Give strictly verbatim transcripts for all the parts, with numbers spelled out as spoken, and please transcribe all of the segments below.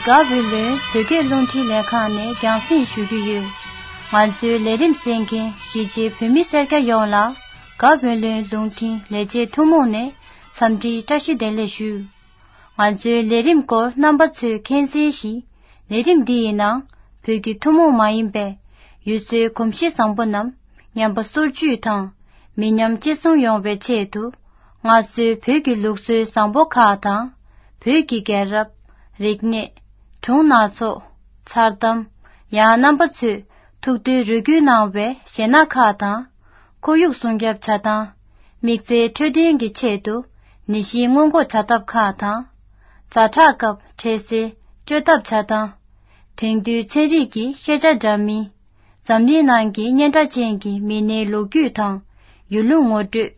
དགའ་བོད་ལུང་བོད་སྐད་རླུང་འཕྲིན་ལས་ཁང་ནས་རྒྱང་སྲིང་ཞུ་གི་ཡོད། ང་ཚོའི་ལས་རིམ་གསན་མཁན་གཞིས་བྱེས་བོད་མི་སེར་སྐྱ་ཡོངས་ལ་དགའ་བོད་ལུང་རླུང་འཕྲིན་ལས་བྱེད་ཐུན་མོང་ནས་འཚམས་འདྲིའི་བཀྲ་ཤིས་བདེ་ལེགས་ཞུ། ང་ཚོའི་ལས་རིམ་སྐོར་རྣམ་པ་ཚོས་མཁྱེན་གསལ་བཞིན། ལས་རིམ་འདི་ཡི་ནང་བོད་ཀྱི་ཐུན་མོང་མ་ཡིན་པའི་ཡུལ་སྲོལ་གོམས་གཤིས་བཟང་པོ་རྣམས་ཉམས་པ་སོར་ཆུད་དང་མི་ཉམས་གཅེས་སྲུང་ཡོང་བའི་ཆེད་དུ། སྔར་སྲོལ་བོད་ཀྱི་ལུགས་སྲོལ་བཟང་པོ་ཁག་དང་། བོད་ཀྱི་རྒྱལ་རབས། རིག་གནས། སྒྲུང་སྣ་ཚོགས། མཚར་གཏམ། ཡང་རྣམ་པ་ཚོས་ཐུགས་འདུན་རེ་སྐུལ་གནང་བའི་གཞས་སྣ་ཁག་དང་། ཁོར་ཡུག་སྲུང་སྐྱོབ་བྱ་སྟངས། དམིགས་བསལ་འཕྲོད་བསྟེན་གྱི་ཆེད་དུ་ནད་གཞི་སྔོན་འགོག་བྱ་ཐབས་ཁག་དང་། ཛ་དྲག་སྐབས་འཕྲལ་སེལ་བཅོས་ཐབས་བྱ་སྟངས། དེང་དུས་ཚན་རིག་གི་ཤེས་བྱ་འདྲ་མིན། འཛམ་གླིང་ནང་གི་སྙན་གྲགས་ཅན་གྱི་མི་སྣའི་ལོ་རྒྱུས་དང་། ཡུལ་ལུང་ངོ་སྤྲོད།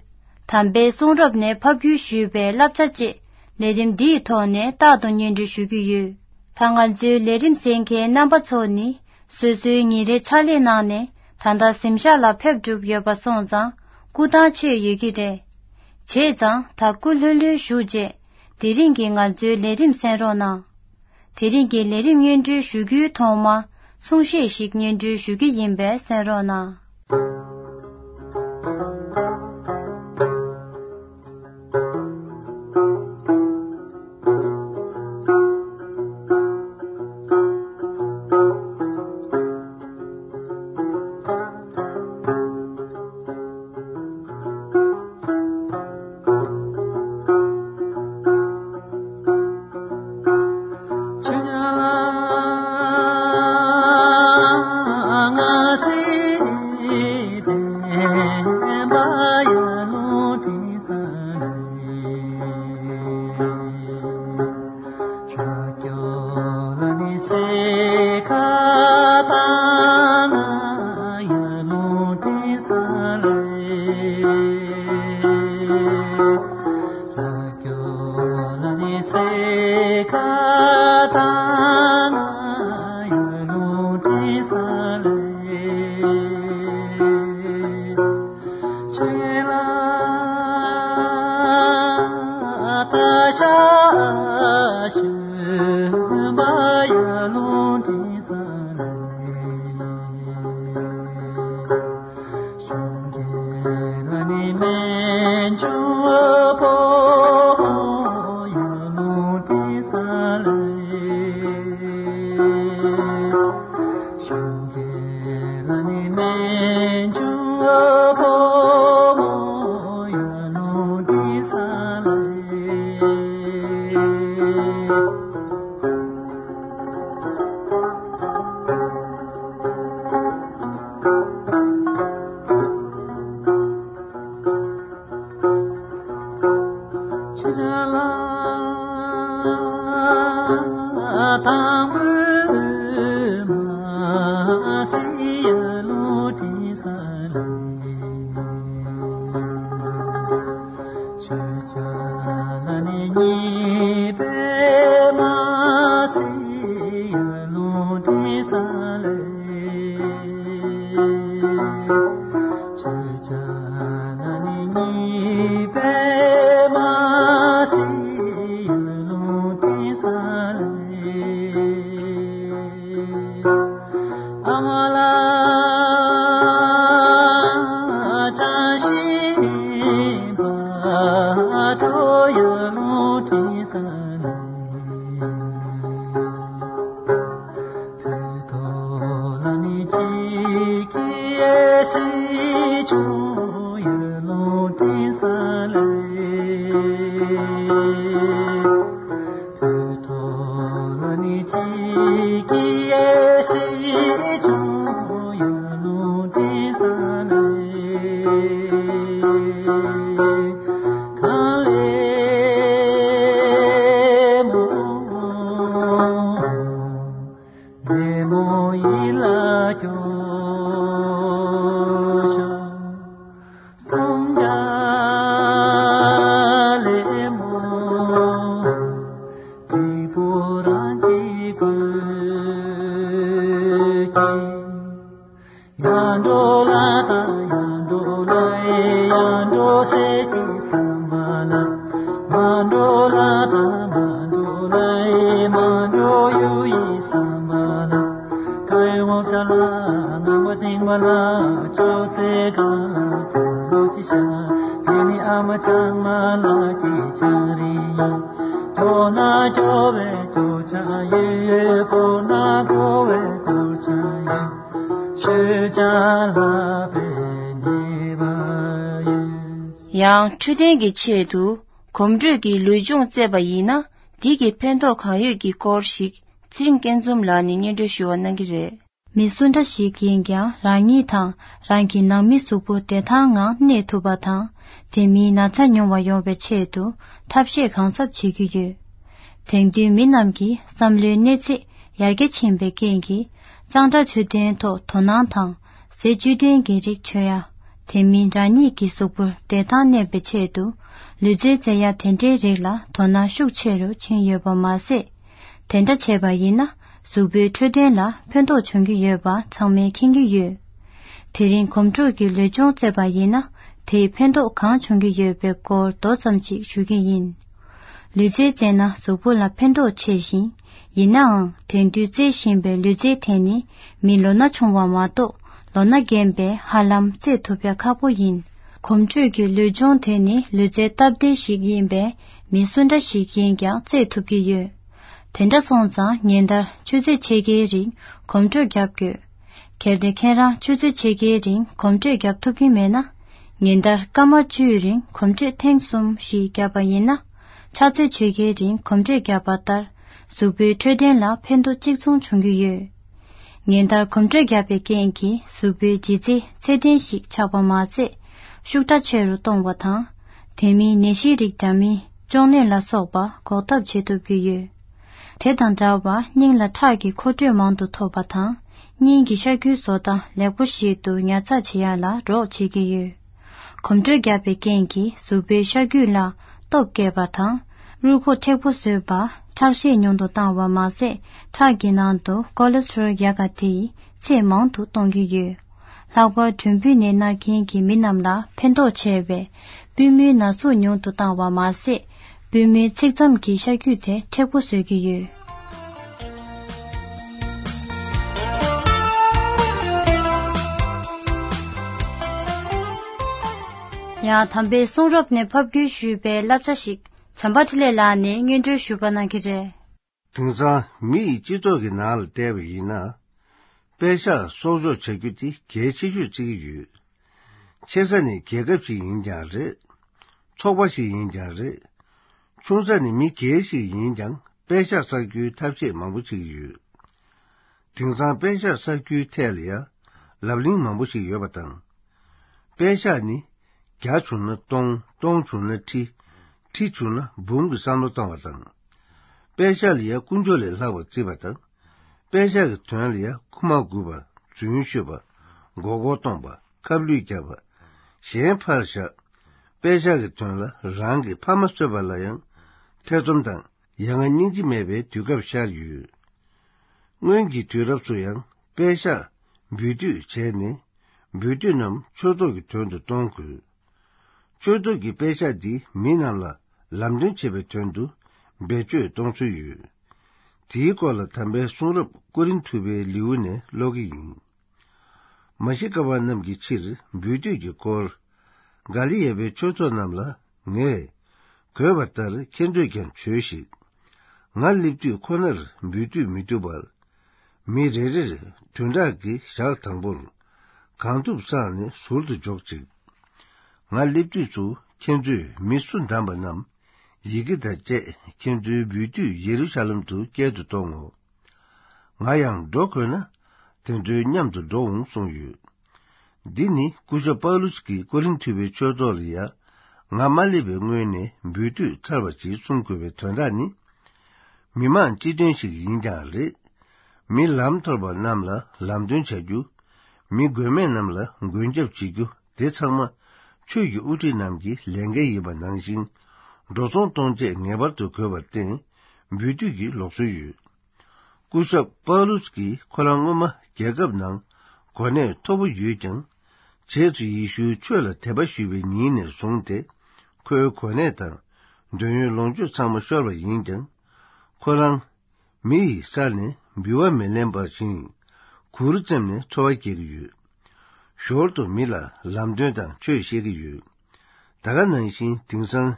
དམ་པའི་གསུང་རབ་ནས་ཕབ་བསྒྱུར་ཞུས་པའི་བསླབ་བྱ་བཅས་ལས་རིམ་འདིའི་ཐོག་ནས་རྟག་ཏུ་སྙན་སྒྲོན་ཞུ་གི་ཡོད། ད་ང་ཚོའི་ལས་རིམ་གསན་མཁན་རྣམ་པ་ཚོ་ནི། སོ་སོའི་ཉིན་རེའི་ཕྱག་ལས་གནང་ནས་ད་ལྟ་གཟིམ་ཤག་ལ་ཕེབས་གྲུབ་ཡོད་པ་སོང་ཙང་སྐུ་ཐང་ཆད་ཡོད་ཀྱི་རེད། བྱས་ཙང་ད་སྐུ་ལྷོད་ལྷོད་བཞུགས་རྗེས་དེ་རིང་གི་ང་ཚོའི་ལས་རིམ་གསན་རོགས་གནང་། དེ་རིང་གི་ལས་རིམ་སྙན་སྒྲོན་ཞུ་རྒྱུའི་ཐོག་མར་གསུང་བཤད་ཞིག་སྙན་སྒྲོན་ཞུ་གི་ཡིན་པས་གསན་རོགས་གནང་། དེ་ནི་ཨ་མ་ཚང་མ་ལ་གི་ཆང་རིན་ཡིན། མཐོ་ན་སྐྱོ་བའི་སྐྱོ་ཆང་ཡོད། གོ་ན་གོ་བའི་གོ་ཆང་ཡོད། ཆོས་ཆང་ལ་ཕན་ནུས་པ་ཡོད། ཡང་འཕྲོད་བསྟེན་གྱི་ཆེད་དུ་གོམ་བགྲོད་ཀྱི་ལུས་སྦྱོང་རྩེད་པ་ཡིན་ན། འདི་གི་ཕན་ཐོགས་གང་ཡོད་ཀྱི་སྐོར་ཞིག་ཚེ་རིང་སྐྱིད་འཛོམས་ལགས་ནས་སྙན་སྒྲོན་ཞུ་བ་གནང་གི་རེད། མི་སུ་འདྲ་ཞིག་ཡིན་ཀྱང་རང་ཉིད་དང་རང་གི་ནང་མི་གཟུགས་པོ་བདེ་ཐང་ངང་གནས་ཐུབ་པ་དང་། དེ་མིན་ན་ཚ་ཉུང་བ་ཡོང་བའི་ཆེད་དུ་ཐབས་ཤེས་གང་ཟབ་བྱེད་ཀྱི་ཡོད། དེང་དུས་མི་རྣམས་ཀྱི་བསམ་བློའི་གནས་ཚད་ཡར་རྒྱས་ཕྱིན་པའི་རྐྱེན་གྱིས། གཙང་སྦྲ་འཕྲོད་བསྟེན་ཐོག་དོ་སྣང་དང་། ཟས་བཅུད་ལྡན་གྱི་རིགས་མཆོད་ཡ། དེ་མིན་རང་ཉིད་ཀྱི་གཟུགས་པོར་བདེ་ཐང་གནས་པའི་ཆེད་དུ། ལུས་རྩལ་རྩེ་ཡ་དེ་འདྲའི་རིགས་ལ་དོ་སྣང་ཤུགས་ཆེ་རུ་ཕྱིན་ཡོད་པ་མ་ཟད། དེ་འདྲ་བྱས་པ་ཡིན་ན་གཟུགས་པོའི་འཕྲོད་བསྟེན་ལ་ཕན་ཐོགས་བྱུང་གི་ཡོད་པ་ཚང་མས་མཁྱེན་གྱི་ཡོད། དེ་རིང་གོམ་བགྲོད་ཀྱི་ལུས་སྦྱོང་རྩེད་པ་ཡིན་ན་དེས་ཕན་ཐོགས་གང་བྱུང་གི་ཡོད་པའི་སྐོར་མདོ་ཙམ་ཅིག་ཞུ་གི་ཡིན། ལུས་རྩལ་རྩེད་ན་གཟུགས་པོ་ལ་ཕན་ཐོགས་ཆེ་ཞིང་། ཡིན་ནའང་དེང་དུས་རྩེད་བཞིན་པའི་ལུས་རྩལ་དེ་ནི་མི་ལོ་ན་ཆུང་བ་མ་གཏོགས་ལོ་ན་རྒན་པས་ཧ་ལམ་རྩེད་ཐུབ་ཡ་ཁག་པོ་ཡིན། གོམ་བགྲོད་ཀྱི་ལུས་སྦྱོང་དེ་ནི་ལུས་རྩལ་སྟབས་བདེ་ཞིག་ཡིན་པས་མི་སུ་འདྲ་ཞིག་ཡིན་ཀྱང་རྩེད་ཐུབ་ཀྱི་ཡོད། དེ་འདྲ་སོང་ཙང་ཉིན་ལྟར་ཆུ་ཚོད་ཕྱེད་ཀའི་རིང་གོམ་བགྲོད་རྒྱབ་དགོས། གལ་ཏེ་ཁྱེད་རང་ཆུ་ཚོད་ཕྱེད་ཀའི་རིང་གོམ་བགྲོད་རྒྱབ་ཐུབ་ཀྱི་མེད་ན། ཉིན་ལྟར་སྐར་མ་བཅུའི་རིང་གོམ་བགྲོད་ཐེངས་གསུམ་ཞིག་བརྒྱབ་པ་ཡིན་ན། ཕྱག་ཚོད་ཕྱེད་ཀའི་རིང་གོམ་བགྲོད་བརྒྱབ་པ་ལྟར། གཟུགས་པོའི་འཕྲོད་བསྟེན་ལ་ཕན་ཐོགས་གཅིག་མཚུངས་བྱུང་གི་ཡོད། ཉིན་ལྟར་གོམ་བགྲོད་བརྒྱབ་པའི་རྐྱེན་གྱིས་གཟུགས་པོའི་ལྗིད་ཚད་ཚད་ལྡན་ཞིག་ཆགས་པ་མ་ཟད། ཤུགས་དྲག་ཆེ་རུ་གཏོང་བ་དང་། དེ་མིན་ནད་གཞི་རིགས་འདྲ་མིན་གཅོང་ནད་ལ་སོགས་པ་འགོག་ཐབས་བྱེད་ཐུབ་ཀྱི་ཡོད། དེ་དང་འདྲ་བར་སྙིང་ལ་ཁྲག་གི་མཁོ་སྤྲོད་མང་དུ་ཐོབ་པ་དང་། སྙིང་གི་ཤ་ཁུའི་བཟོ་ལྟ་ལེགས་པོ་ཞིག་ཏུ་ཉར་ཚགས་བྱེད་ཡ་ལ་རོགས་བྱེད་ཀྱི་ཡོད། གོམ་བགྲོད་བརྒྱབ་པའི་རྐྱེན་གྱིས་གཟུགས་པོའི་ཤ་རྒྱུས་ལ་སྟོབས་བསྐྱེད་པ་དང་། རུས་ཁོག་མཁྲེགས་པོ་བཟོས་པ། ཁྲག་ཤེད་ཉུང་དུ་བཏང་བ་མ་ཟད། ཁྲག་གི་ནང་དུ་ཀོ་ལེ་སི་ཊོ་རོལ་ཡག་ག་དེའི་ཚད་མང་དུ་གཏོང་གི་ཡོད། ལྷག་པར་གྲུམ་བུའི་ནད་མནར་མཁན་གྱི་མི་རྣམས་ལ་ཕན་ཐོགས་ཆེ་བས། པུས་མོའི་ན་ཟུག་ཉུང་དུ་བཏང་བ་མ་ཟད། པུས་མོའི་ཚིགས་མཚམས་ཀྱི་ཤ་རྒྱུས་དེ་མཁྲེགས་པོ་བཟོ་གི་ཡོད། ཡང་དམ་པའི་གསུང་རབ་ནས་ཕབ་བསྒྱུར་ཞུས་པའི་བསླབ་བྱ་ཞིག་བྱམས་པ་འཕྲིན་ལས་ལགས་ནས་སྙན་སྒྲོན་ཞུ་བ་གནང་གི་རེད། དེང་སང་མི་ཡི་སྤྱི་ཚོགས་ཀྱི་ནང་ལ་བལྟས་པ་ཡིན་ན། པད་ཤག་གསོག་འཇོག་བྱ་རྒྱུ་དེ་གལ་ཆེ་ཤོས་བརྩི་གི་ཡོད། ཆེ་ས་ནི་རྒྱལ་ཁབ་ཞིག་ཡིན་ཀྱང་རེད། ཚོགས་པ་ཞིག་ཡིན་ཀྱང་རེད། ཆུང་ས་ནི་མི་སྒེར་ཞིག་ཡིན་ཀྱང་པད་ཤག་བསགས་རྒྱུའི་ཐབས་ཤེས་མང་པོ་བྱེད་ཀྱི་ཡོད། དེང་སང་པད་ཤག་བསགས་རྒྱུའི་ཐད་ལ་ཡང་ལབ་གླེང་མང་པོ་ཞིག་ཡོད་པ་དང་། པད་ཤག་ནི་བརྒྱ་བྱུང་ན་སྟོང་། སྟོང་བྱུང་ན་ཁྲི། ཁྲི་བྱུང་ན་འབུམ་གྱི་བསམ་བློ་གཏོང་བ་དང་། པད་ཤག་ལ་ཡང་ཀུན་སྤྱོད་ལས་ལྷག་པར་བརྩི་བ་དང་། པད་ཤག་གི་དོན་ལ་ཡང་ཁུག་མ་དགོས་པ། རྫུན་ཤོད་པ། མགོ་སྐོར་གཏོང་པ། ཁ་བསླུས་རྒྱག་པ། གཞན་ཕར་བཞག་པད་ཤག་གི་དོན་ལ་རང་གི་ཕ་མ་གསོད་པ་ལ་ཡང་ཐེ་ཚོམ་དང་ཡ་ང་སྙིང་རྗེ་མེད་པའི་དུས་སྐབས་ཤར་ཡོད། སྔོན་གྱི་དུས་རབས་སུ་ཡང་པད་ཤག་འབུལ་སྡུད་བྱས་ནས། འབུལ་སྡུད་རྣམས་ཆོས་ཚོགས་ཀྱི་དོན་དུ་གཏོང་དགོས། ཆོས་ཚོགས་ཀྱི་པད་ཤག་འདི་མི་རྣམས་ལ་ལམ་སྟོན་བྱེད་པའི་དོན་དུ་བེད་སྤྱོད་གཏོང་སྲོལ་ཡོད། དེའི་སྐོར་ལ་དམ་པའི་གསུང་རབ་ཀོ་རིན་ཐུ་པའི་ལེའུ་ནས་ཀློག་གི་ཡིན། མ་ཤི་ཀ་པ་རྣམས་ཀྱི་ཕྱིར་འབུལ་སྡུད་ཀྱི་སྐོར། ག་ལི་ཡ་པའི་ཆོས་ཚོགས་རྣམས་ལ་ངས་བསྒོས་པ་ལྟར་ཁྱེད་ཚོས་ཀྱང་བྱོས་ཤིག་ང་སླེབས་དུས་ཁོ་ནར་འབུལ་སྡུད་མི་བཏུབ་པར། མི་རེ་རེར་བདུན་ཕྲག་གི་ཞག་དང་པོར་གང་ཐུབ་བསགས་ནས་ཟུར་དུ་འཇོག་ཅིག་ང་སླེབས་དུས་སུ་ཁྱེད་ཚོས་མི་སུ་བདམས་པ་རྣམས་ཡི་གེ་དང་བཅས་ཁྱེད་ཚོའི་འབུལ་སྡུད་ཡེ་རུ་ཤ་ལམ་དུ་སྐྱེལ་དུ་གཏོང་ངོ་། ང་ཡང་འགྲོ་དགོས་ན་དེ་ཚོའི་མཉམ་དུ་འགྲོ་འོང་གསུངས་ཡོད། འདི་ནི་སྐུ་ཞབས་པའུ་ལུས་ཀྱིས་ཀོ་རིན་ཐུ་པའི་ཆོས་ཚོགས་ལ་ཡ། ང་མ་སླེབས་པའི་སྔོན་ནས་འབུལ་སྡུད་ཚར་བ་ཅིག་གསུང་དགོས་པའི་དོན་དག་ནི། མི་མང་སྤྱི་དོན་ཞིག་ཡིན་ཀྱང་རེད། མི་ལམ་འཐོར་བ་རྣམས་ལ་ལམ་སྟོན་བྱ་རྒྱུ། མི་མགོན་མེད་རྣམས་ལ་མགོན་སྐྱབས་བྱེད་རྒྱུ་དེ་ཚང་མ་ཆོས་ཀྱི་དབུ་ཁྲིད་རྣམས་ཀྱི་ལས་འགན་ཡིན་པ་ནང་བཞིན། འགྲོ་སོང་གཏོང་ཆེད་ངེས་པར་དུ་དགོས་པར་བརྟེན། འབུལ་སྡུད་ཀྱི་ལུགས་སྲོལ་ཡོད། སྐུ་ཞབས་པའུ་ལུས་ཀྱིས་ཁོ་རང་སྔོན་མ་རྒྱལ་ཁབ་ནང་གོ་གནས་མཐོ་པོ་ཡོད་ཀྱང་། རྗེས་སུ་ཡེ་ཤུའི་ཆོས་ལ་དད་པ་ཞུས་པའི་ཉིན་ནས་བཟུང་སྟེ། ཁོའི་གོ་གནས་དང་འདོད་ཡོན་ལོངས་སྤྱོད་ཚང་མ་ཤོར་བ་ཡིན་ཀྱང་། ཁོ་རང་མི་ཡི་སར་ནས་འབུལ་བ་མི་ལེན་པ་བཞིན། གུར་བཙེམས་ནས་འཚོ་བ་སྐྱེལ་གྱི་ཡོད། ཞོར་དུ་མི་ལ་ལམ་སྟོན་དང་ཆོས་བཤད་ཀྱི་ཡོད། ད་ག་ནང་བཞིན་དེང་སང་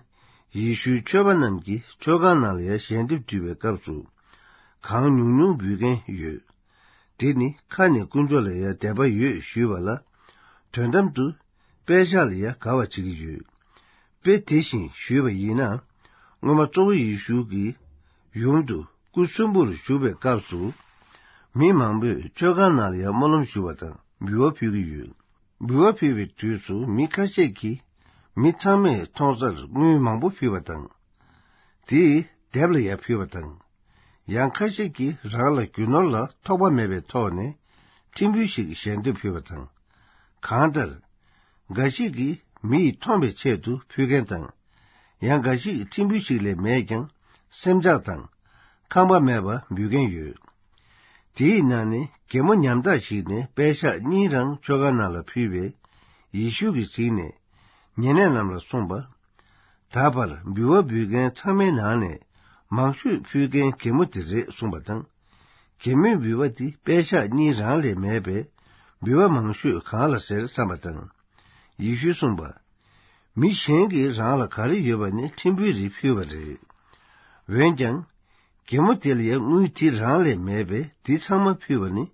ཡེ་ཤུའི་ཆོས་པ་རྣམས་ཀྱིས་ཆོས་ཁང་ནང་ལ་ཡང་ཞལ་འདེབས་བྲིས་པའི་སྐབས་སུ་གང་ཉུང་ཉུང་འབུལ་མཁན་ཡོད། དེ་ནི་ཁ་ནས་དཀོན་མཆོག་ལ་ཡང་དད་པ་ཡོད་ཞུས་པ་ལ། དོན་དམ་དུ་པད་ཤག་ལ་ཡང་དགའ་བ་བྱེད་ཀྱི་ཡོད། དཔེ་དེ་བཞིན་ཞུས་པ་ཡིན་ན། སྔོན་མ་གཙོ་བོ་ཡེ་ཤུ་གིས་ཡུམ་དུ་སྐུ་གསོན་པོར་བཞུགས་པའི་སྐབས་སུ། མི་མང་པོས་ཆོས་ཁང་ནང་ལ་ཡང་སྨོན་ལམ་ཞུ་བ་དང་འབུལ་བ་ཕུལ་གྱི་ཡོད། འབུལ་བ་ཕུལ་བའི་དུས་སུ་མི་ཁ་ཤས་ཀྱིས་མི་ཚང་མས་མཐོང་སར་དངུལ་མང་པོ་ཕུལ་བ་དང་། དེས་སྡེབ་ལ་ཡང་ཕུལ་བ་དང་། ཡང་ཁ་ཤས་ཀྱིས་རང་ལ་རྒྱུ་ནོར་ལ་ཐོགས་པ་མེད་པའི་ཐོག་ནས་ཕྲན་བུ་ཞིག་ཞལ་འདེབས་ཕུལ་བ་དང་། གང་ལྟར། འགའ་ཞིག་གིས་མི་ཡིས་མཐོང་བའི་ཆེད་དུ་ཕུལ་མཁན་དང་། ཡང་འགའ་ཞིག་ཕྲན་བུ་ཞིག་ལས་མེད་ཀྱང་སེམས་ཆགས་དང་ཁང་པ་མེད་པ་འབུལ་མཁན་ཡོད། དེའི་ནང་ནས་གད་མོ་ཉམ་ཐག་ཞིག་ནས་པད་ཤག་གཉིས་རང་ཆོས་ཁང་ནང་ལ་ཕུལ་བས། ཡེ་ཤུ་གིས་གཟིགས་ནས་ཉེ་གནས་རྣམས་ལ་གསུངས་པ། ད་བར་འབུལ་བ་འབུལ་མཁན་ཚང་མའི་ནང་ནས་མང་ཤོས་ཕུལ་མཁན་གད་མོ་དེ་རེད་གསུངས་པ་དང་། གད་མོའི་འབུལ་བ་དེ་པད་ཤག་གཉིས་རང་ལས་མེད་པས། འབུལ་བ་མང་ཤོས་གང་ལ་ཟེར་བསམ་པ་དང་། ཡེ་ཤུས་གསུངས་པ། མི་གཞན་གྱིས་རང་ལ་ག་རེ་ཡོད་པ་ནི་ཕྲན་བུའི་རིགས་ཕུལ་བ་རེད། འོན་ཀྱང་། གད་མོ་དེ་ལ་ཡང་དངུལ་དེ་རང་ལས་མེད་པས་དེ་ཚང་མ་ཕུལ་བ་ནི་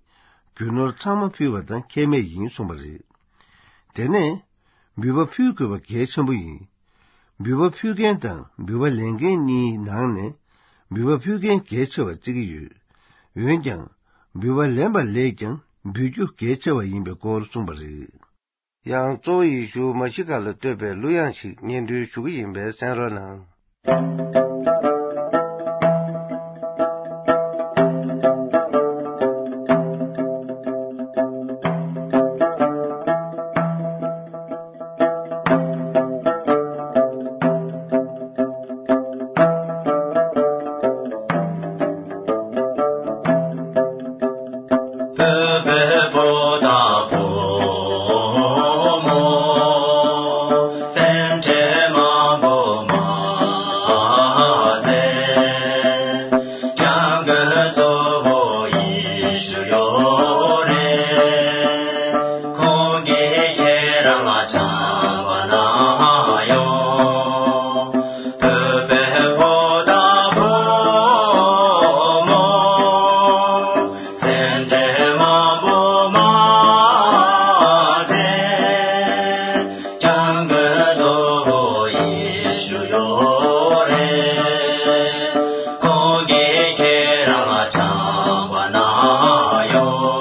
རྒྱུ་ནོར་ཚང་མ་ཕུལ་བ་དང་ཁྱད་མེད་ཡིན་གསུངས་པ་རེད། དེ་ནས། འབུལ་བ་ཕུལ་དགོས་པ་གལ་ཆེན་པོ་ཡིན། འབུལ་བ་ཕུལ་མཁན་དང་འབུལ་བ་ལེན་མཁན་གཉིས་ནང་ནས་འབུལ་བ་ཕུལ་མཁན་གལ་ཆེ་བར་བརྩི་གི་ཡོད། འོན་ཀྱང་འབུལ་བ་ལེན་པ་ལས་ཀྱང་འབུལ་རྒྱུ་གལ་ཆེ་བ་ཡིན་པའི་སྐོར་གསུངས་པ་རེད། ཡང་གཙོ་བོ་ཡེ་ཤུ་མ་ཤི་ཀ་ལ་བསྟོད་པའི་གླུ་དབྱངས་ཤིག་སྙན་སྒྲོན་ཞུ་གི་ཡིན་པས་གསན་རོགས་གནང་། ཁོང་གིས་ཁྱེད་རང་ལ་བྱམས་པ་གནང་ཡོང་། བོད་པའི་ཕོ་དང་བུ་མོ། སེམས་ཅན་མང་པོ་མ་ཟད། སྐྱབས་མགོན་གཙོ་བོ་ཡེ་ཤུ་ཡོད་རེད། ཁོང་གིས་ཁྱེད་རང་ལ་བྱམས་པ་གནང་ཡོད།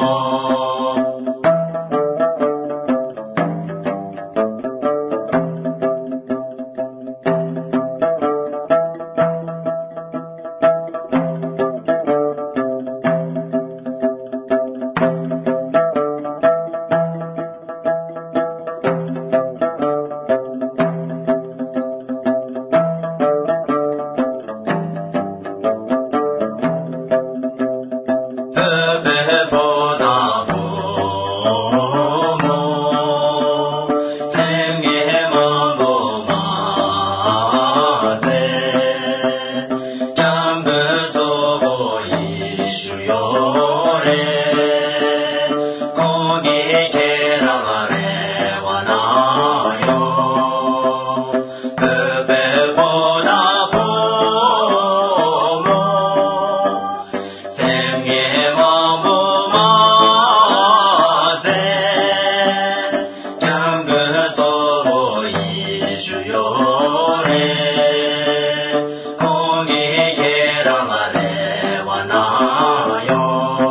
བོད་པའི་ཕོ་དང་བུ་མོ། སེམས་ངན་མང་པོ་མ་ཟད། སྐྱབས་མགོན་གཙོ་བོ་ཡེ་ཤུ་ཡོད་རེད། ཁོང་གིས་ཁྱེད་རང་ལ་རེ་བ་གནང་ཡོད། བོད་པའི་ཕོ་དང་བུ་མོ། སེམས་ངན་མང་པོ་མ་ཟད། སྐྱབས་མགོན་གཙོ་བོ་ཡེ་ཤུ་ཡོད་རེད། ཁོང་གིས་ཁྱེད་རང་ལ་རེ་བ་གནང་ཡོད།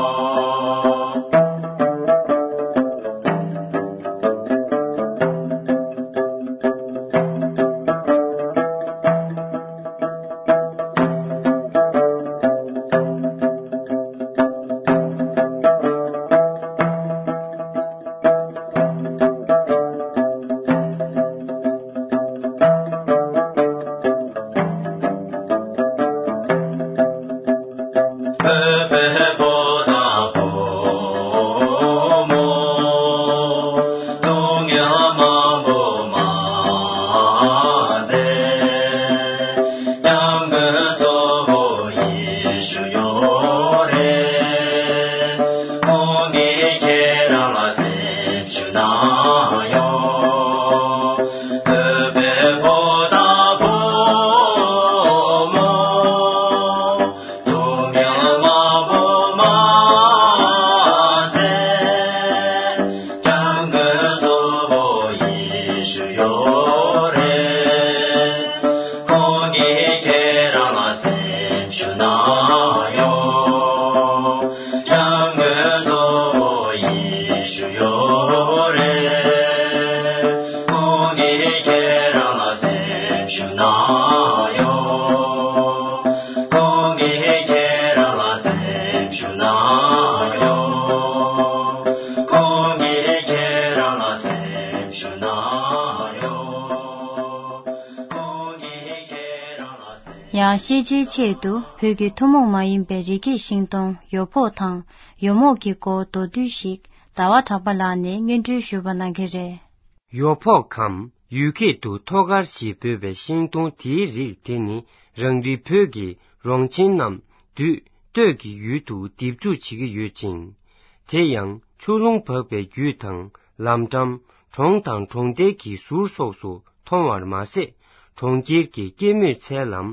ཞུ་ན་ཡོང་། ཁོང་གིས་ཁྱེད་རང་ལ་སེམས་ཞུ་ན་ཡོང་། ཁོང་གིས་ཁྱེད་རང་ལ་སེམས་ཞུ་ན་ཡོང་། ཁོང་གིས་ཁྱེད་རང་ལ་སེམས། ཡང་ཤེས་བྱའི་ཆེད་དུ་བོད་ཀྱི་ཐུན་མོང་མ་ཡིན་པའི་རི་སྐྱེས་ཤིང་སྡོང་ཡོ་ཕོག་དང་ཡོ་མོག་གི་སྐོར་མདོར་བསྡུས་ཤིག་ཟླ་བ་གྲགས་པ་ལགས་ནས་སྙན་སྒྲོན་ཞུས་པ་གནང་གི་རེད། ཡོ་ཕོག་གམ་ཡུལ་སྐད་དུ་ཐོ་ཀར་ཞེས་འབོད་པའི་ཤིང་སྡོང་དེའི་རིགས་དེ་ནི་རང་རེའི་བོད་ཀྱི་རོང་ཆེན་ནམ་འདུས་སྟོད་ཀྱི་ཡུལ་དུ་འདེབས་འཛུགས་བྱེད་ཀྱི་ཡོད་ཅིང་། དེ་ཡང་ཆུ་ཀླུང་འབབ་པའི་རྒྱུད་དང་ལམ་འགྲམ། གྲོང་དང་གྲོང་རྡལ་གྱི་ཟུར་སོགས་སུ་མཐོང་བར་མ་ཟད། གྲོང་ཁྱེར་གྱི་སྐྱེད་མོས་ཚལ་ལམ།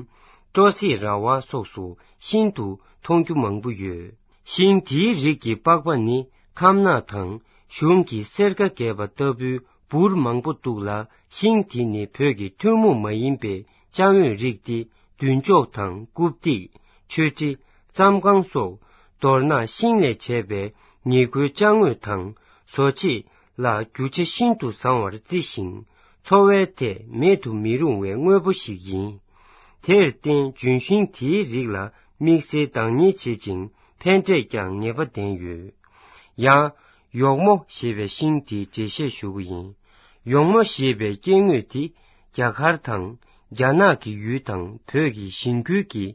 སྤྲོ་སེང་ར་བ་སོགས་སུ་ཤིན་ཏུ་མཐོང་རྒྱུ་མང་པོ་ཡོད། ཤིང་དེའི་རིགས་ཀྱི་པགས་པ་ནི་ཁམ་ནག་དང་གཞུང་གི་སེར་ཀ་རྒྱས་པ་ལྟ་བུའི་འབུར་མང་པོ་འདུག་ལ། ཤིང་དེ་ནི་བོད་ཀྱི་ཐུན་མོང་མ་ཡིན་པའི་ཅ་དངོས་རིགས་ཏེ། མདུན་ཅོག་དང་རྐུབ་སྟེགས། མཆོད་ཁྲི། རྩམ་ཁང་སོགས། མདོར་ན་ཤིང་ལས་བྱས་པའི་ཉེར་མཁོའི་ཅ་དངོས་དང་། བཟོ་བྱེད་ལ་རྒྱུ་ཆ་ཤིན་ཏུ་བཟང་བར་བརྩི་ཞིང་། འཚོ་བའི་ཐད་མེད་དུ་མི་རུང་བའི་དངོས་པོ་ཞིག་ཡིན། དེར་བརྟེན་ལྗོན་ཤིང་དེའི་རིགས་ལ་དམིགས་བསལ་བདག་གཉེར་བྱེད་ཅིང་ཕན་འབྲས་ཀྱང་ངེས་པ་ལྡན་ཡོད། ཡང་། ཡོག་མོ་ཞེས་པའི་ཤིང་དེའི་འགྲེལ་བཤད་ཞུ་གི་ཡིན། ཡོག་མོ་ཞེས་པའི་སྐྱེ་དངོས་དེ་རྒྱ་གར་དང་རྒྱ་ནག་གི་ཡུལ་དང་བོད་ཀྱི་ཞིང་ཁུལ་གྱི་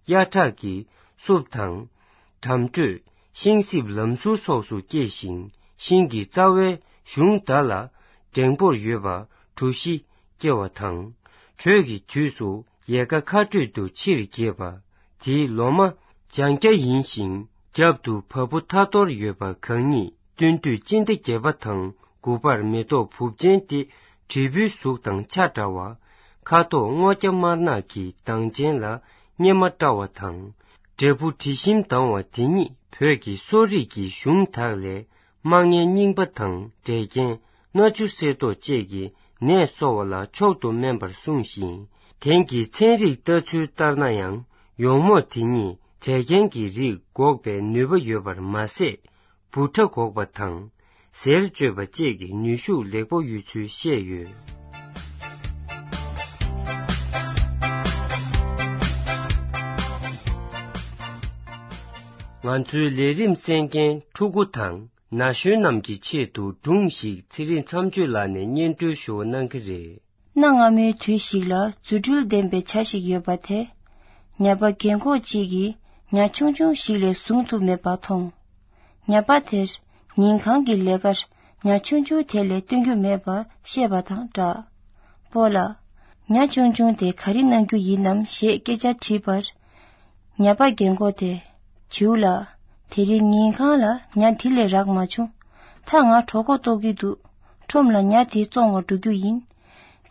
གཡའ་བྲག་གི་སྲུབས་དང་། འགྲམ་འགྲོས། ཤིང་སྲིབ་ལམ་ཟུར་སོགས་སུ་སྐྱེ་ཞིང་། ཤིང་གི་རྩ་བའི་གཞུང་མདའ་ལ་འགྲེང་པོར་ཡོད་པ་གྲུ་བཞི་སྐྱེ་བ་དང་། དྲོད་ཀྱི་དུས་སུ་ཡལ་ག་ཁ་སྤྲོད་དུ་ཕྱིར་འགྱེད་པ། དེའི་ལོ་མ་ལྗང་སྐྱ་ཡིན་ཞིང་། རྒྱབ་ཏུ་བ་སྤུ་ཐ་ཐོར་ཡོད་པ་གང་ཉིད། སྟོན་དུས་སྤྱི་ཟླ་བརྒྱད་པ་དང་དགུ་པར་མེ་ཏོག་སྦུབས་ཅན་ཏེ། དྲིལ་བུའི་གཟུགས་དང་ཆ་འདྲ་བ། ཁ་དོག་སྔོ་སྐྱ་དམར་ནག་གི་མདངས་ཅན་ལ་སྙེ་མ་བཀྲ་བ་དང་། འབྲས་བུ་དྲི་ཞིམ་ལྡང་བ་དེ་ཉིད་བོད་ཀྱི་གསོ་རིག་གི་གཞུང་དག་ལས། རྨ་ངན་རྙིང་པ་དང་འབྲས་རྐྱེན། སྣ་ཆུ་གསེར་མདོག་བཅས་ཀྱི་ནད་གསོ་བ་ལ་མཆོག་ཏུ་སྨན་པར་གསུངས་ཤིང་། དེང་གི་ཚན་རིག་ལྟ་ཚུལ་ལྟར་ན་ཡང་ཡོག་མོ་དེ་ཉིད་འབྲས་རྐྱེན་གྱི་རིགས་འགོག་པའི་ནུས་པ་ཡོད་པར་མ་ཟད། འབུ་ཕྲ་འགོག་པ་དང་། གཟེར་གཅོད་པ་བཅས་ཀྱི་ནུས་ཤུགས་ལེགས་པོ་ཡོད་ཚུལ་བཤད་ཡོད། ང་ཚོའི་ལས་རིམ་གསན་མཁན་ཕྲུ་གུ་དང་ན་གཞོན་རྣམས་ཀྱི་ཆེད་དུ་སྒྲུང་ཞིག་ཚེ་རིང་མཚམས་གཅོད་ལགས་ནས་སྙན་སྒྲོན་ཞུ་བ་གནང་གི་རེད། གནའ་སྔ་མོའི་དུས་ཤིག་ལ་རྫུ་འཕྲུལ་ལྡན་པའི་བྱ་ཞིག་ཡོད་པ་དེ། ཉ་པ་རྒན་གོག་ཅིག་གིས་ཉ་ཆུང་ཆུང་ཞིག་ལས་བཟུང་ཐུབ་མེད་པ་མཐོང་། ཉ་པ་དེར་ཉིན་གང་གི་ལས་ཀར་ཉ་ཆུང་ཆུང་དེ་ལས་བཏོན་རྒྱུ་མེད་པ་ཤེས་པ་དང་སྦྲགས། སྤོ་ལགས། ཉ་ཆུང་ཆུང་དེ་ག་རེ་གནང་རྒྱུ་ཡིན་ནམ་ཞེས་སྐད་ཆ་དྲིས་པར། ཉ་པ་རྒན་གོག་དེས། བྱིའུ་ལགས། དེ་རིང་ཉིན་གང་ལ་ཉ་དེ་ལས་རག་མ་བྱུང་། ད་ང་གྲོད་ཁོག་ལྟོགས་ཀྱི་འདུག་ཁྲོམ་ལ་ཉ་དེ་བཙོང་བར་འགྲོ་རྒྱུ་ཡིན།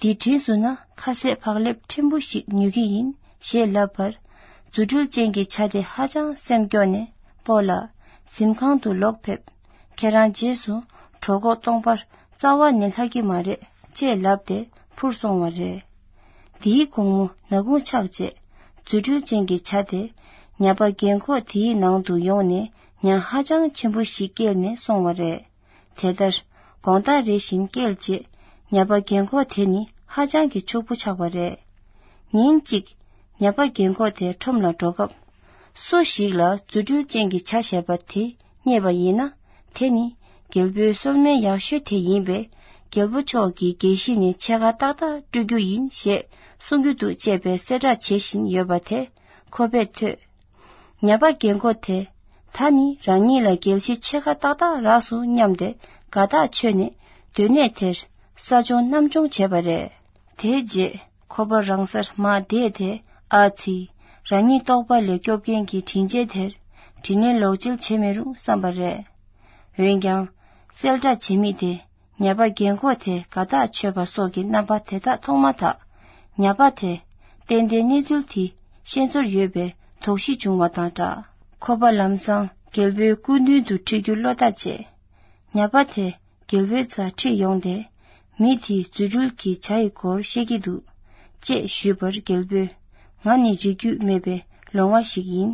དེ་དྲིན་སོང་ན་ཁ་ཟས་བག་ལེབ་ཕྲན་བུ་ཞིག་ཉོ་གི་ཡིན་ཞེས་ལབ་པར། རྫུ་འཕྲུལ་ཅན་གྱི་བྱ་དེ་ཧ་ཅང་སེམས་སྐྱོ་ནས། སྤོ་ལགས། གཟིམ་ཁང་དུ་ལོག་ཕེབས། ཁྱེད་རང་རྗེས་སུ་གྲོད་ཁོག་སྟོང་པར་རྩ་བ་ནས་ལྷག་གི་མ་རེད་ཅེས་ལབ་སྟེ་འཕུར་སོང་བ་རེད། དེའི་དགོང་མོ་ནག་ཁུང་ཆགས་རྗེས། རྫུ་འཕྲུལ་ཅན་གྱི་བྱ་དེ་ཉ་པ་རྒན་གོག་དེའི་ནང་དུ་ཡོང་ནས་ཉ་ཧ་ཅང་ཆེན་པོ་ཞིག་སྐྱེལ་ནས་སོང་བ་རེད། དེ་ལྟར་དགོང་དག་རེ་བཞིན་སྐྱེལ་རྗེས། ཉ་པ་རྒན་གོག་དེ་ནི་ཧ་ཅང་གི་ཕྱུག་པོ་ཆགས་པ་རེད། ཉིན་གཅིག་ཉ་པ་རྒན་གོག་དེ་ཁྲོམ་ལ་འགྲོ་སྐབས། སུ་ཞིག་ལ་རྫུ་འཕྲུལ་ཅན་གྱི་བྱ་ཞེས་པ་དེ་རྙེད་པ་ཡིན་ན། དེ་ནི་རྒྱལ་པོའི་གསོལ་སྨན་ཡག་ཤོས་དེ་ཡིན་པས། རྒྱལ་པོ་མཆོག་གིས་རྒྱལ་གཞི་ནས་ཕྱེད་ཀ་ཏག་ཏག་སྤྲོད་རྒྱུ་ཡིན་ཞེས་གསུང་རྒྱུ་འདུག་ཅེས་པའི་གསལ་བསྒྲགས་བྱེད་བཞིན་ཡོད་པ་དེ་ཁོ་པས་ཐོས། ཉ་པ་རྒན་གོག་དེ། ད་ནི་རང་ཉིད་ལ་རྒྱལ་གཞི་ཕྱེད་ཀ་ཏག་ཏག་རག་སོང་སྙམ་སྟེ་དགའ་ཐག་ཆོད་ནས་སྡོད་གནས་དེར་ས་སྦྱོང་གནམ་སྦྱོང་བྱས་པ་རེད། དེའི་རྗེས་ཁོ་པ་རང་སར་མར་བསྡད་དེ། ཨ་ཙི། རང་ཉིད་ལྟོགས་པ་ལས་སྐྱོབ་མཁན་གྱི་དྲིན་ཆེན་དེར་དྲིན་ལན་ལོག་འཇལ་བྱེད་མི་རུང་བསམ་པ་རེད། འོན་ཀྱང་། གསལ་བསྒྲགས་བྱེད་མི་དེ། ཉ་པ་རྒན་གོག་དེ་དགའ་ཐག་ཆོད་པ་སོགས་ཀྱི་རྣམ་པ་དེ་དག་མཐོང་མ་ཐག་ཉ་པ་དེ་ཏན་ཏན་གནས་ཚུལ་དེ་ཤེས་ཚོར་ཡོད་པའི་དོགས་གཞི་བྱུང་བ་དང་སྦྲགས། ཁོ་པ་ལམ་སང་རྒྱལ་པོའི་སྐུ་མདུན་དུ་ཁྲིད་རྒྱུ་བློ་ཐག་བཅད། ཉ་པ་དེ་རྒྱལ་པོའི་རྩར་ཁྲིད་ཡོང་སྟེ། མི་དེས་རྫུ་འཕྲུལ་གྱི་བྱ་ཡི་སྐོར་བཤད་ཀྱི་འདུག་ཅེས་ཞུས་པར་རྒྱལ་པོས། ང་ནི་རིགས་རྒྱུད་མེད་པའི་ལོང་བ་ཞིག་ཡིན།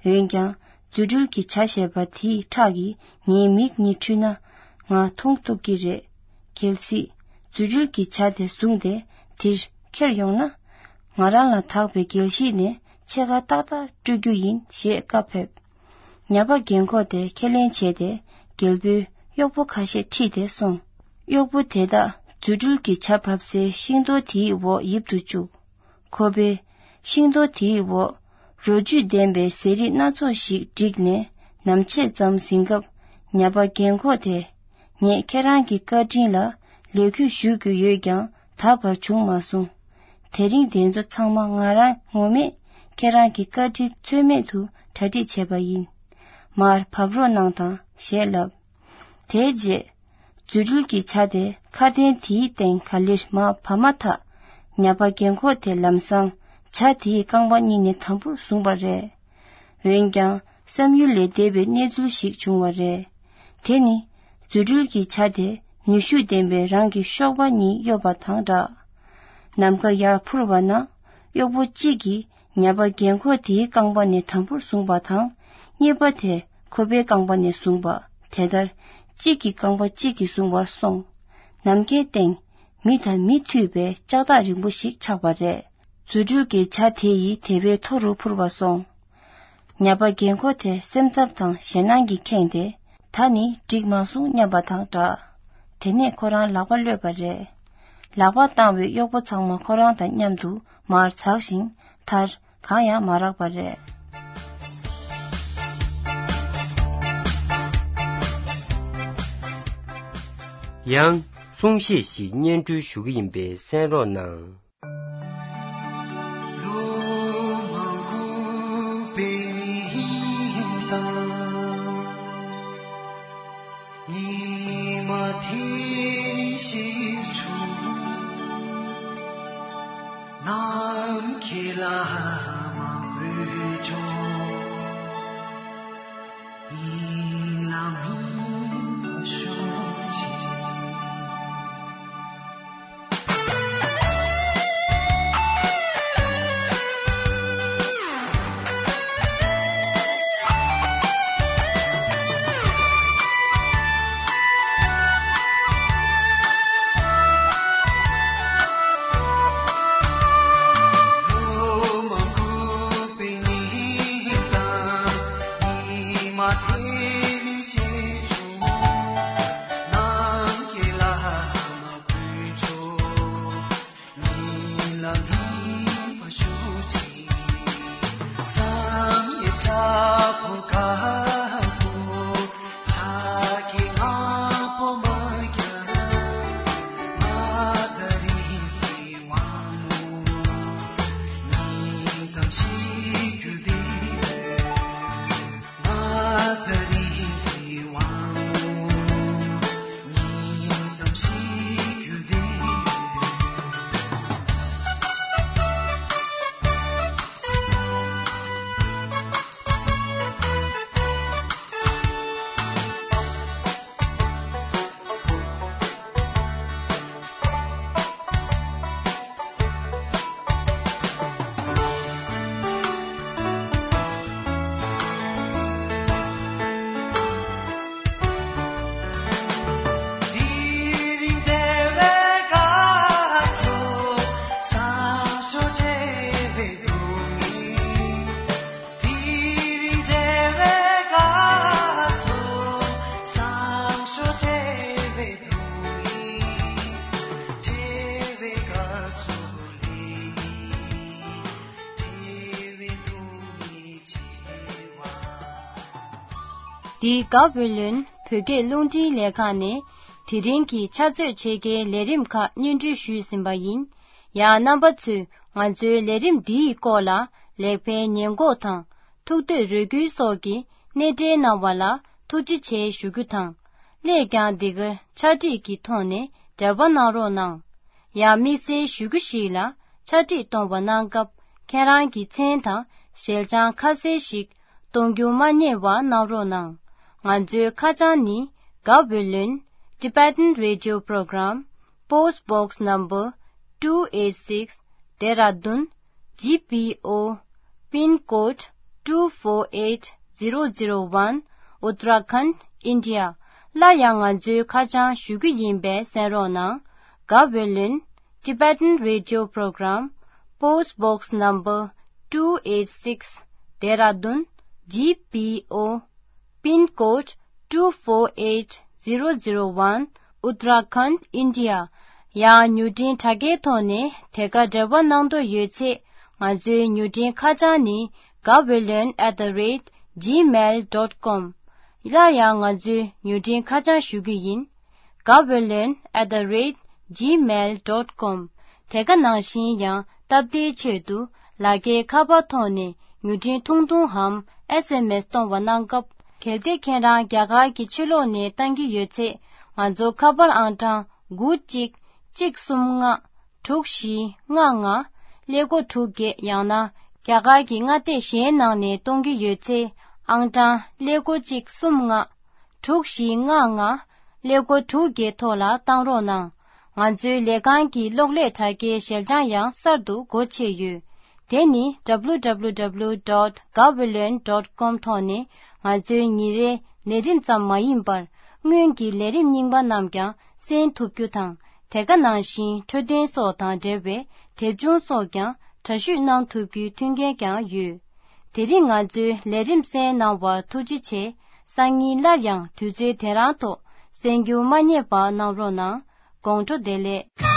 འོན་ཀྱང་། རྫུ་འཕྲུལ་གྱི་བྱ་ཞེས་པ་དེའི་ཁྲག་གིས་ངའི་མིག་གཉིས་འཁྲུད་ན། ང་མཐོང་ཐུབ་ཀྱི་རེད། གལ་སྲིད། རྫུ་འཕྲུལ་གྱི་བྱ་དེ་བཟུང་སྟེ་དེར་ཁྱེར་ཡོང་ན། ང་རང་ལ་དག་པའི་རྒྱལ་གཞིས་ནས་ཕྱེད་ཀ་ཏག་ཏག་སྤྲོད་རྒྱུ་ཡིན་ཞེས་བཀའ་ཕེབས། ཉ་པ་རྒན་འཁོགས་དེ་ཁས་ལེན་བྱས་ཏེ། རྒྱལ་པོའི་གཡོག་པོ་ཁ་ཤས་ཁྲིད་དེ་སོང་། གཡོག་པོ་དེ་དག་རྫུ་འཕྲུལ་གྱི་ཇ་ཕབ་སའི་ཤིང་རྡོག་དེའི་འོག་ཡིབ་ཏུ་བཅུག། ཁོ་པས་ཤིང་རྡོག་དེའི་འོག་རོ་བཅུད་ལྡན་པའི་ཟས་རིགས་སྣ་ཚོགས་ཤིག་བསྒྲིགས་ནས་ནམ་ཕྱེད་ཙམ་ཟིན་སྐབས། ཉ་པ་རྒན་འཁོགས་དེས། ངས་ཁྱེད་རང་གི་བཀའ་དྲིན་ལ་ལས་འཁུར་ཞུ་རྒྱུ་ཡོད་ཀྱང་ད་བར་བྱུང་མ་སོང་། དེ་རིང་དེ་ཚོ་ཚང་མ་ང་རང་ངོ་མས་ཁྱེད་རང་གི་བཀའ་དྲིན་ཚོད་མེད་དུ་གྲ་སྒྲིག་བྱས་པ་ཡིན། མར་བབས་རོགས་གནང་དང་ཞེས་ལབ། དེའི་རྗེས། རྫུ་འཕྲུལ་གྱི་ཇ་དེ་ཁ་གདན་དེའི་སྟེང་ག་ལེར་མར་བབས་མ་ཐག། ཉ་པ་རྒན་འཁོགས་དེ་ལམ་སང་ཇ་དེའི་རྐང་པ་གཉིས་ནས་དམ་པོར་བཟུང་བ་རེད། འོན་ཀྱང་བསམ་ཡུལ་ལས་འདས་པའི་གནས་ཚུལ་ཞིག་བྱུང་བ་རེད། དེ་ནི་རྫུ་འཕྲུལ་གྱི་ཇ་དེ་ནུས་ཤུགས་ལྡན་པའི་རང་གི་གཤོག་པ་གཉིས་གཡོབ་པ་དང་འདྲ། ནམ་མཁར་ཡར་འཕུར་བ་ན། གཡོག་པོ་གཅིག་གིས་ཉ་པ་རྒན་འཁོགས་དེའི་རྐང་པ་ནས་དམ་པོར་བཟུང་བ་དང་། གཉིས་པ་དེས་ཁོ་པའི་རྐང་པ་ནས་བཟུང་བ། དེ་ལྟར་གཅིག་གི་རྐང་པ་གཅིག་གིས་བཟུང་བར་སོང་། ནམ་མཁའི་སྟེང་མི་དང་མི་མཐུད་པའི་ལྕགས་ཐག་རིང་པོ་ཞིག་ཆགས་པ་རེད། རྫུ་འཕྲུལ་གྱི་ཇ་དེ་ཡིས་དེ་བས་མཐོ་རུ་འཕུར་བར་སོང་། ཉ་པ་རྒན་འཁོགས་དེ་སེམས་འཚབ་དང་ཞེད་སྣང་གིས་ཁེངས་ཏེ། ད་ནི་འགྲིག་མ་སོང་སྙམ་པ་དང་འདྲ། དེ་ནས་ཁོ་རང་ལག་པ་གློད་པ་རེད། ལག་པ་བཏང་བའི་གཡོག་པོ་ཚང་མ་ཁོ་རང་དང་མཉམ་དུ་མར་འཛེགས་ཤིང་མཐར་གང་ཡང་མ་རག་པ་རེད། ཡང་གསུང་བཤད་ཞིག་སྙན་སྒྲོན་ཞུ་གི་ཡིན་པས་གསན་རོགས་གནང་། ལོ་མང་པོ་པའི་ཉིན་དང་། ཉི་མ་དེ་ཞིག་བྱུང་། ནམ་མཁའི་ལྷ་མང་པོས་ཁྱོད། ཉིན་ལ་མི་ཤོག་ཅིག་འདི་ག་བོད་ལུན་བོད་སྐད་རླུང་འཕྲིན་ལས་ཁང་ནས་དེ་རིང་གི་ཕྱག་ཚོད་ཕྱེད་ཀའི་ལས་རིམ་ཁག་སྙན་སྒྲོན་ཞུས་ཟིན་པ་ཡིན། ཡང་རྣམ་པ་ཚོས་ང་ཚོའི་ལས་རིམ་འདིའི་སྐོར་ལ་ལེགས་སྤེལ་ཉེས་འགོག་དང་ཐུགས་འདོད་རེ་སྐུལ་སོགས་ཀྱི་སྣེ་འདྲེན་གནང་བ་ལ་ཐུགས་རྗེ་ཆེ་ཞུ་རྒྱུ་དང་། སླད་ཀྱང་འདི་གར་ཕྱག་བྲིས་ཀྱི་ཐོག་ནས་འབྲེལ་བ་གནང་རོགས་གནང་། ཡང་དམིགས་བསལ་ཞུ་རྒྱུ་ཞིག་ལ་ཕྱག་བྲིས་གཏོང་བ་གནང་སྐབས་ཁྱེད་རང་གི་མཚན་དང་ཞལ་བྱང་ཁ་གསལ་ཞིག་གཏོང་རྒྱུ་མ་བསྙེལ་བ་གནང་རོགས་གནང་། ང་ཚོའི་ཁ་བྱང་ནི། Gaweylon Tibetan Radio Program, Post Box Number two eight six, Dehradun, G P O, Pin Code two four eight zero zero one, Uttarakhand, India. སླར་ཡང་ང་ཚོའི་ཁ་བྱང་ཞུ་རྒྱུ་ཡིན་པས་གསན་རོགས་གནང་། Gaweylon Tibetan Radio Program, Post Box Number two eight six, Dehradun, G P O, Pin Code two four eight zero zero one, Uttarakhand, India. ཡང་མྱུར་འཕྲིན་དྲ་རྒྱའི་ཐོག་ནས་དེ་ག་འབྲེལ་བ་གནང་འདོད་ཡོད་ཚེ། ང་ཚོའི་མྱུར་འཕྲིན་ཁ་བྱང་ནི། Gaweylon at the rate gmail dot com. སླར་ཡང་ང་ཚོའི་མྱུར་འཕྲིན་ཁ་བྱང་ཞུ་གི་ཡིན། Gaweylon at the rate gmail dot com. དེ་ག་ནང་བཞིན་ཡང་སྟབས་བདེའི་ཆེད་དུ་ལག་འཁྱེར་ཁ་པར་ཐོག་ནས་མྱུར་འཕྲིན་ཐུང་ཐུང་འམ་S M S གཏོང་བ་གནང་སྐབས། གལ་ཏེ་ཁྱེད་རང་རྒྱ་གར་གྱི་ཕྱི་ལོགས་ནས་བཏང་གི་ཡོད་ཚེ། ང་ཚོ་ཁ་པར་ཨང་གྲངས་དགུ་གཅིག་གཅིག་གསུམ་ལྔ་དྲུག་བཞི་ལྔ་ལྔ་ཀླད་ཀོར་དྲུག་བརྒྱད། ཡང་ན་རྒྱ་གར་གྱི་མངའ་སྡེ་གཞན་ནང་ནས་གཏོང་གི་ཡོད་ཚེ། ཨང་གྲངས་ཀླད་ཀོར་གཅིག་གསུམ་ལྔ་དྲུག་བཞི་ལྔ་ལྔ་ཀླད་ཀོར་དྲུག་བརྒྱད་ཐོག་ལ་བཏང་རོགས་གནང་། ང་ཚོའི་ལས་ཁང་གི་གློག་ཀླད་དྲ་རྒྱའི་ཞལ་བྱང་ཡང་གསར་དུ་སྒོ་ཕྱེ་ཡོད། དེ་ནི་W W W dot gaweylon dot com ཐོག་ནས་ང་ཚོའི་ཉིན་རེའི་ལས་རིམ་ཙམ་མ་ཡིན་པར། སྔོན་གྱི་ལས་རིམ་རྙིང་པ་རྣམས་ཀྱང་གསན་ཐུབ་རྒྱུ་དང་། དེ་ག་ནང་བཞིན་འཕྲོད་བསྟེན་སོགས་དང་འབྲེལ་བའི་དེབ་ཆུང་སོགས་ཀྱང་འདྲ་བཤུས་གནང་ཐུབ་རྒྱུའི་མཐུན་རྐྱེན་ཀྱང་ཡོད། དེ་རིང་ང་ཚོའི་ལས་རིམ་གསན་གནང་བར་ཐུགས་རྗེ་ཆེ། སང་ཉིན་སླར་ཡང་དུས་ཚོད་དེ་རང་ཐོག་གསན་རྒྱུ་མ་བསྙེལ་བ་གནང་རོགས་གནང་། དགོང་དྲོ་བདེ་ལེགས།